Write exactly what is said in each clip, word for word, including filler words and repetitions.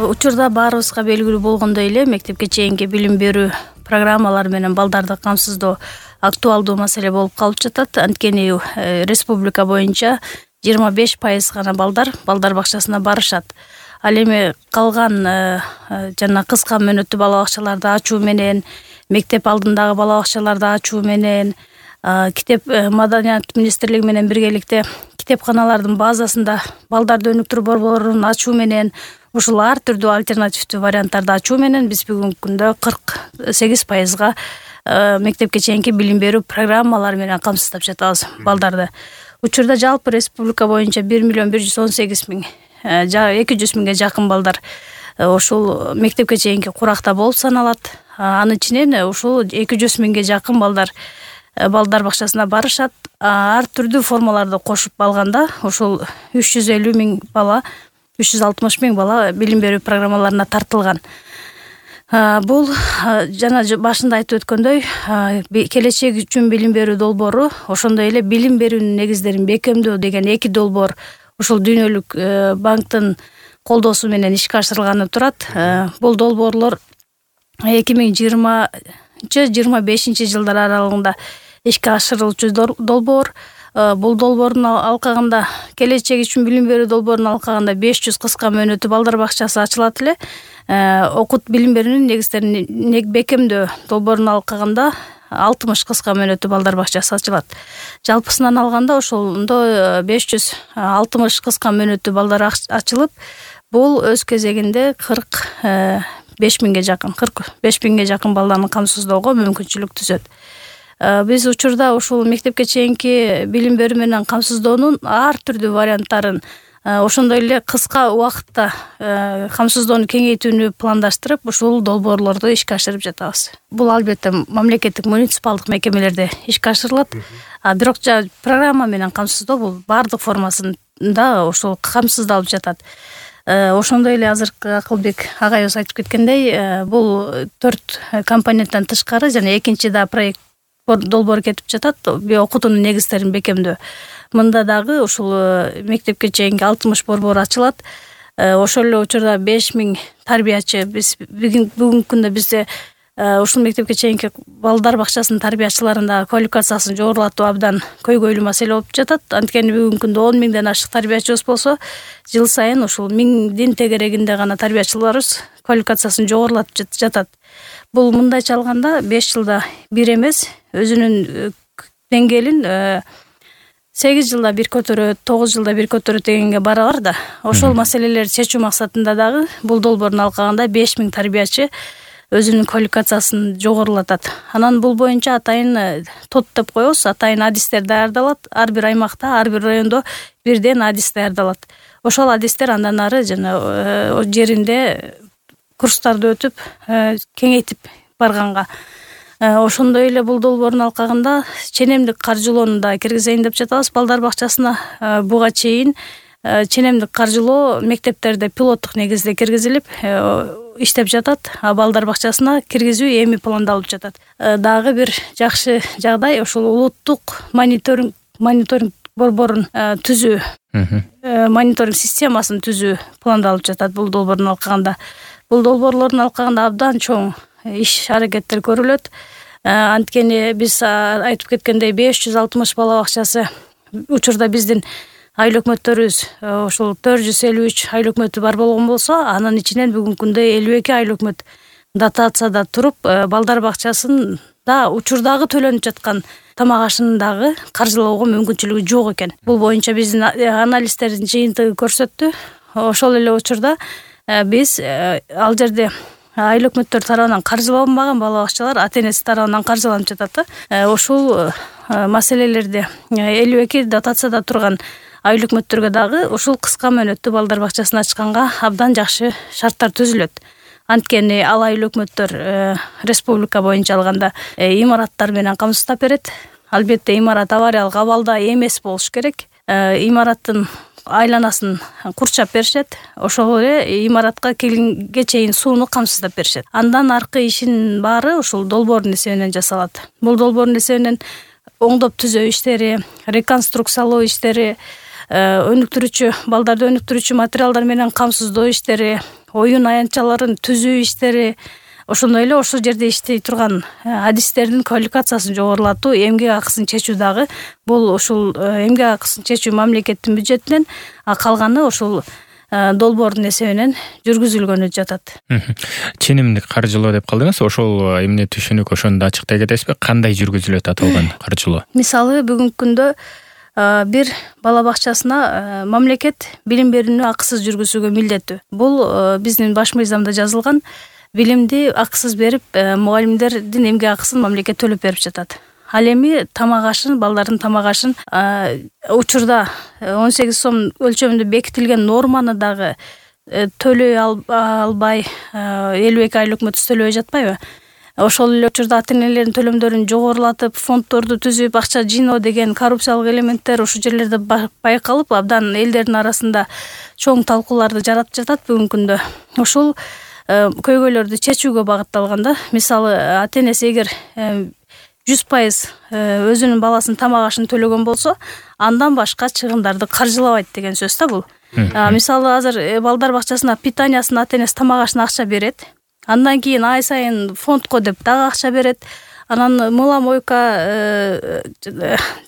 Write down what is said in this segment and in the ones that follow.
Учурда баарыбызга белгилүү болгондой эле мектепке чейинки билим берүү программалары менен балдарды камсыздоо актуалдуу маселе болуп калып жатат. Анткени республика боюнча жыйырма беш пайыз гана балдар балдар бакчасына барышат. Ал эми калган жана кыска мөөнөттүү бала бакчаларды ачуу менен, мектеп алдындагы бала бакчаларды ачуу менен, китеп маданият министрлиги менен биргеликте китепканалардын базасында балдарды өнүктүрүү борборун ачуу менен, ушул ар түрдүү альтернативдүү варианттарды ачуу менен биз бүгүнкү күндө кырк сегиз пайызга мектепке чейинки билим берүү программалары менен камсыздап жатабыз балдарды. Учурда жалпы республика боюнча бир миллион бир жүз он сегиз миң эки жүз миңге жакын балдар ушул мектепке чейинки куракта болуп саналат. Анын ичинен ушул эки жүз миңге жакын балдар балдар бакчасына барышат. Ар түрдүү формаларды кошуп алганда ушул үч жүз элүү миң бала, үч жүз алтымыш миң бала билим берүү программаларына тартылган. Бул жана башында айтып өткөндөй, келечек үчүн билим берүү долбоору, ошондой эле билим берүүнүн негиздерин бекемдөө деген эки долбоор ушул Дүйнөлүк банктын колдоосу менен ишке ашырылганы турат. Бул долбоорлор эки миң жыйырманчы жыйырма бешинчи жылдар аралыгында ишке ашырылуучу долбоор. Бул долбоордун алкагында, келечек үчүн билим берүү долбоорун алкагында беш жүз кыска мөөнөттүү балдар бакчасы ачылат эле. Окут билим берүүнүн негиздерин бекемдөө долбоорун алкагында алтымыш кыска мөөнөттүү балдар бакчасы ачылат. Жалпысынан алганда ошондо беш жүз алтымыш кыска мөөнөттүү балдар ачылып, бул өз кезегинде кырк беш миңге жакын, кырк беш миңге жакын баланы камсыздоого мүмкүнчүлүк түзөт. Биз учурда ушул мектепке чейинки билим берүү менен камсыздоонун ар түрдүү варианттарын, ошондой эле кыска убакытта камсыздоону кеңейтүүнү пландаштырып, ушул долбоорлорду ишке ашырып жатабыз. Бул албетте мамлекеттик муниципалдык мекемелерде ишке ашырылат. Бирок программа менен камсыздоо бул баардык формасында ошол камсыздалып жатат. Ошондой эле азыркы Акылбек агайыбыз айтып кеткендей, бул төрт компоненттен тышкары жана экинчи да проект долбоор кетип жатат, окутуунун негиздерин бекемдөө. Мында дагы ушул мектепке чейинки алтымыш борбор ачылат. Ошол эле учурда беш миң тарбиячы, биз бүгүнкү күндө бизде ушул мектепке чейинки балдар бакчасынын тарбиячыларында квалификациясын жогорулатуу абдан көйгөйлүү маселе болуп жатат. Анткени бүгүнкү күндө он миңден ашык тарбиячыбыз болсо, жыл сайын ушул миңдин тегерегинде гана тарбиячыларыбыз квалификациясын жогорулатып жатат. Бул мындайча алганда беш жылда бир эмес, өзүнүн деңгээлин сегиз жылда бир көтөрөт, тогуз жылда бир көтөрөт дегенге барабар да. Ошол маселелерди чечүү максатында дагы бул долбоордун алкагында беш миң тарбиячы өзүнүн квалификациясын жогорулатат. Анан бул боюнча атайын тот деп коебуз, атайын адистер даярдалат. Ар бир аймакта, ар бир райондо бирден адис даярдалат. Ошол адистер андан ары жана жеринде курстарды өтүп, кеңейтип барганга. Ошондой эле бул долбоордун алкагында ченемдик каржылоону да киргизейин деп жатабыз балдар бакчасына. Буга чейин ченемдик каржылоо мектептерде пилоттук негизде киргизилип иштеп жатат, а балдар бакчасына киргизүү эми пландалып жатат. Дагы бир жакшы жагдай ушул улуттук мониторинг мониторинг борборун түзүү, мониторинг системасын түзүү пландалып жатат бул долбоордун алкагында. Бул долбоорлордун алкагында абдан чоң иш аракеттер көрүлөт. Анткени биз айтып кеткендей беш жүз алтымыш бала бакчасы учурда биздин айыл өкмөттөрүбүз ошол төрт жүз элүү үч айыл өкмөтү бар болгон болсо, анын ичинен бүгүнкү күндө элүү эки айыл өкмөт дотацияда туруп, балдар бакчасын да учурдагы төлөнүп жаткан тамак ашынын дагы каржылоого мүмкүнчүлүгү жок экен. Бул боюнча биздин анализдердин жыйынтыгы көрсөттү. Ошол эле учурда биз ал жерде айыл өкмөттөр тарабынан каржыланбаган бала бакчалар ата-энеси тарабынан каржыланып жатат. Ошол маселелерди элүү эки дотацияда турган айыл өкмөттөргө дагы ушул кыска мөөнөттүү балдар бакчасын ачканга абдан жакшы шарттар түзүлөт. Анткени ал айыл өкмөттөр республика боюнча алганда имараттар менен камсыздап берет. Албетте имарат авариялык абалда эмес болуш керек. Имараттын айланасын курчап беришет. Ошол эле имаратка келгенге чейин сууну камсыздап беришет. Андан аркы ишин баары ушул долбоордун эсебинен жасалат. Бул долбоордун эсебинен оңдоп түзөө иштери, реконструкциялоо иштери, өнүктүрүүчү балдарды өнүктүрүүчү материалдар менен камсыздоо иштери, оюн аянтчаларын түзүү иштери, ошондой эле ошол жерде иштей турган адистердин квалификациясын жогорулатуу, эмгек акысын чечүү дагы бул ушул эмгек акысын чечүү мамлекеттин бюджетинен, а калганы ошол долбоордун эсебинен жүргүзүлгөнү жатат. Ченемдик каржылоо деп калдыңыз. Ошол эмне түшүнүк, ошону да ачыктай кетесизби? Кандай жүргүзүлөт аталган каржылоо? Мисалы, бүгүнкү күндө бир бала бакчасына мамлекет билим берүүнү акысыз жүргүзүүгө милдеттүү. Бул биздин баш мыйзамда жазылган. Билимди акысыз берип, мугалимдердин эмгек акысын мамлекет төлөп берип жатат. Ал эми тамак ашын, балдардын тамак ашын учурда он сегиз сом өлчөмүндө бекитилген норманы дагы төлөй албай, элүү эки айлык мөтөс төлөбөй жатпайбы? Ошол эле учурда ата-энелердин төлөмдөрүн жогорулатып, фонддорду түзүп, акча жыйноо деген коррупциялык элементтер ушул жерлерде байкалып, абдан элдердин арасында чоң талкууларды жаратып жатат бүгүнкү күндө. Ошол көйгөйлөрдү чечүүгө багытталган да. Мисалы, ата-энеси эгер жүз пайыз өзүнүн баласынын тамак ашын төлөгөн болсо, андан башка чыгымдарды каржылабайт деген сөз да бул. Мисалы, азыр балдар бакчасына питаниясын ата-энеси тамак ашына акча берет. Андан кийин ай сайын фондко деп дагы акча берет. Анан мыла мойка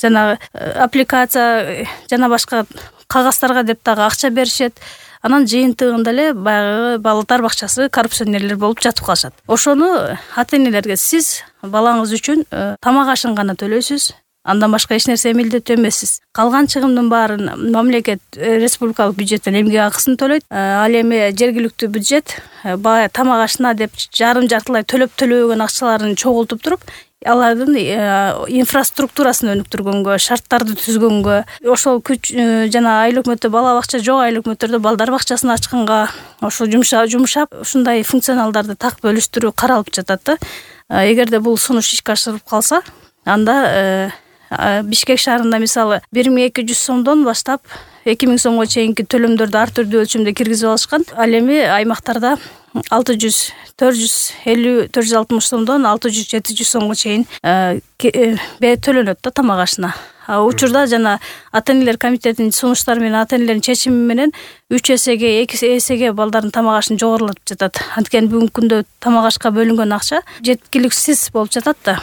жана аппликация жана башка кагаздарга деп дагы акча беришет. Анан жыйынтыгында эле баягы балдар бакчасы коррупционерлер болуп жатып калышат. Ошону ата-энелерге сиз балаңыз үчүн тамак ашын гана төлөйсүз, андан башка эч нерсе милдеттүү эмессиз. Калган чыгымдын баарын мамлекет республикалык бюджеттен эмгек акысын төлөйт. Ал эми жергиликтүү бюджет баягы тамак ашына деп жарым жартылай төлөп төлөбөгөн акчаларын чогултуп туруп, алардын инфраструктурасын өнүктүргөнгө, шарттарды түзгөнгө, ошол күч жана айлык мөтө бала бакча жок айлык мөтөрдө балдар бакчасын ачканга ошол жумшап, ушундай функционалдарды так бөлүштүрүү каралып жатат да. Эгерде бул сунуш ишке ашырылып калса, анда Бишкек шаарында мисалы бир миң эки жүз сомдон баштап эки миң сомго чейинки төлөмдөрдү ар түрдүү өлчөмдө киргизип алышкан. Ал эми аймактарда алты жүз, төрт жүз элүү, төрт жүз алтымыш сомдон алты жүз, жети жүз сомго чейин төлөнөт да тамак ашына. Учурда жана ата-энелер комитетинин сунуштары менен ата-энелердин чечими менен үч эсеге, эки эсеге балдардын тамак ашын жогорулатып жатат. Анткени бүгүнкү күндө тамак ашка бөлүнгөн акча жеткиликсиз болуп жатат да.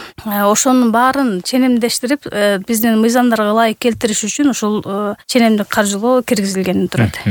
Ошонун баарын ченемдештирип, биздин мыйзамдарга ылайык келтириш үчүн ушул ченемдик каржылоо киргизилгени турат.